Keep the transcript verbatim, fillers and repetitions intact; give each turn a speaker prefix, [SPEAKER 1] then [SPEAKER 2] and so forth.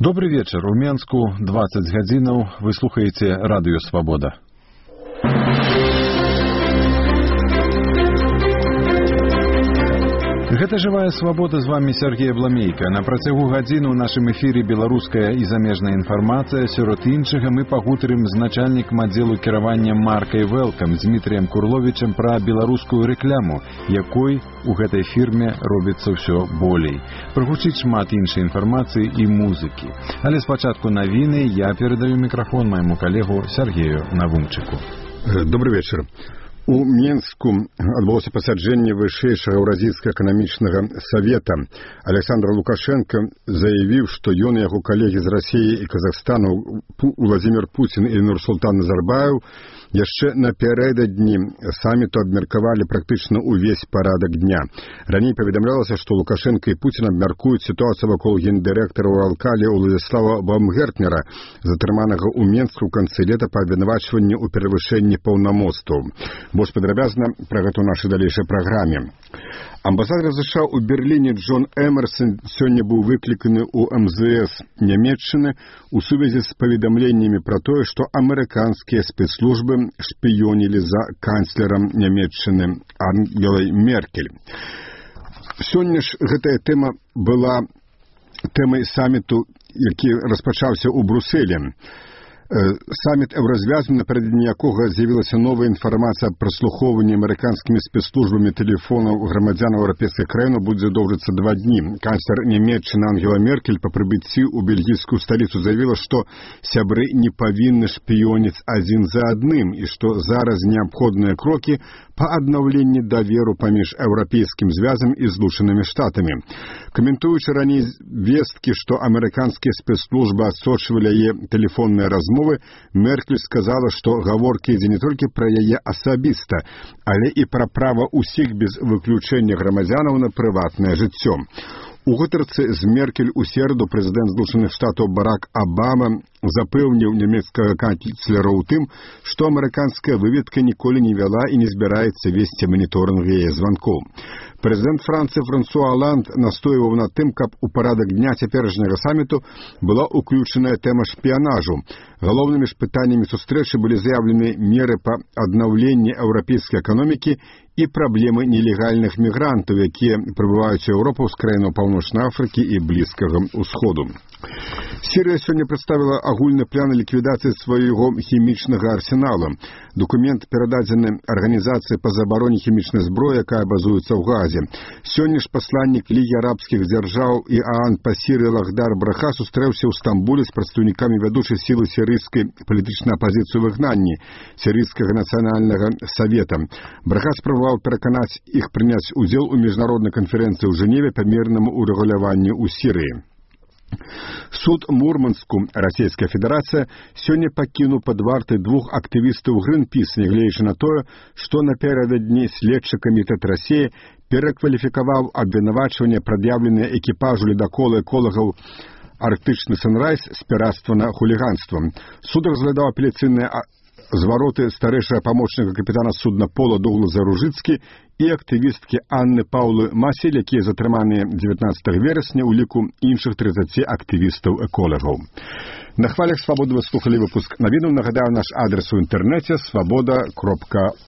[SPEAKER 1] Добрый вечер. У Менску двадцать гадзінаў. Вы слухаеце радыё «Свабода». Гэта «Жывая свабода», з вами Сергей Бламейка. На працягу гадзіны ў нашым эфіры беларуская і замежная інфармацыя. Сярод іншага мы пагутарым з начальнікам аддзелу кіравання маркай «Велкам» Дмітрыем Курловічам пра беларускую рэкляму, якой у гэтай фірме робіцца ўсё болей. Прагучыць шмат іншай інфармацыі і музыкі. Але спачатку навіны я перадаю мікрафон майму калегу Сергею Навумчыку.
[SPEAKER 2] Добрый вечер. У Менску адбылося пасяджэнне вышэйшага еўразійскага эканамічнага савета. Александр Лукашенко заявіў, што ён і яго калегі з Расіі і Казахстану Владзімір Пуцін і Нурсултан Назарбаев яшчэ напярэдадні саміту абмеркавалі практычна ўвесь парадак дня. Раней паведамлялася, што Лукашенко і Пуцін абмяркуюць сітуацыю вакол гендырэктара Уралкалі Уладзіслава Баумгертнера, затрыманага ў Менску ў канцы лета па абвінавачванні ў перавышэнні паўнамоцтваў. Больш падрабязна пра гэта ў нашай далейшай праграме. Амбасадар США ў Берліне Джон Эмерсон сёння быў выкліканы ў эм зэ эс Нямецчыны у сувязі з паведамленнямі пра тое, што амерыканскія спецслужбы шпіёнілі за канцлерам Нямецчыны Ангелай Меркель. Сёння ж гэтая тэма была тэмай саміту, які распачаўся ў Брусэлі. Саміт еўразвязаны, напярэдадні якога з'явілася новая інфармацыя аб праслухоўванні амерыканскімі спецслужбамі тэлефонаў грамадзянаў еўрапейскай краіны будзе доўжыцца два дні. Канцлер Нямецчыны Ангела Меркель па прыбыцці ў бельгійскую сталіцу заявіла, што сябры не павінны шпіёніць адзін за адным і што зараз неабходныя крокі па аднаўленні даверу паміж еўрапейскім звязам і Злучанымі Штатамі. Каментуючы раней весткі, што амерыканскія спецслужбы адсочвалі яе тэлефонныя размовы, Меркель сказала, што гаворка ідзе не толькі пра яе асабіста, але і пра права ўсіх без выключэння грамадзянаў на прыватнае жыццё. У гутарцы з Меркель у сераду прэзідэнт Злучаных Штатаў Барак Абама запэўніў нямецкага канцлера ў тым, што амерыканская выведка ніколі не вяла і не збіраецца весці маніторынг яе званкоў. Прэзідэнт Францыі Франсуа Оланд настойваў на тым, каб у парадак дня цяперашняга саміту была ўключаная тэма шпіянажу. Галоўнымі ж пытаннямі сустрэчы былі заяўлены меры па аднаўленні еўрапейскай эканомікі і праблемы нелегальных мігрантаў, якія прыбываюць у Еўропу з краінаў Паўночнай Афрыкі і Блізкага ўсходу. Сірыя сёння прадставіла агульны план ліквідацыі свайго хімічнага арсенала. Документ перададзены Арганізацыі па забароне хімічнай зброі, якая базуецца ў Газе. Сёння ж пасланнік Лігі арабскіх дзяржаў і Аан па Сірыі Лахдар Браха сустрэўся ў Стамбуле з прадстаўнікамі вядучай сілы сірыйскай палітычнай апазіцыі ў выгнанні Сірыйскага нацыянальнага савета. Браха спрабаваў пераканаць іх прыняць удзел у міжнароднай канферэнцыі ў Жэневе па мірнаму ўрэгуляванню ў Сірыі. Суд Мурманску, Расійская Федэрацыя, сёння пакінуў пад вартай двух актывістаў Гринпіс, нягледзячы на тое, што напярэдадні следчы камітэт Расіі перакваліфікаваў абвінавачванне, прад'яўленае экіпажу ледакола эколагаў Арктычны Санрайз з пірацтва на хуліганства. Суд разглядаў апеляцыйныя звароты старэйшага памочніка капітана судна Пола Дугласа Ружыцкі і актывісткі Анны Паўлы Масель, якія затрыманыя дзевятнаццатага верасня ў ліку іншых трыццаці актывістаў-эколагаў. На хвалях «Свабоды» вы слухалі выпуск навінаў. Нагадаю, наш адрес у інтэрнэце свабода кропка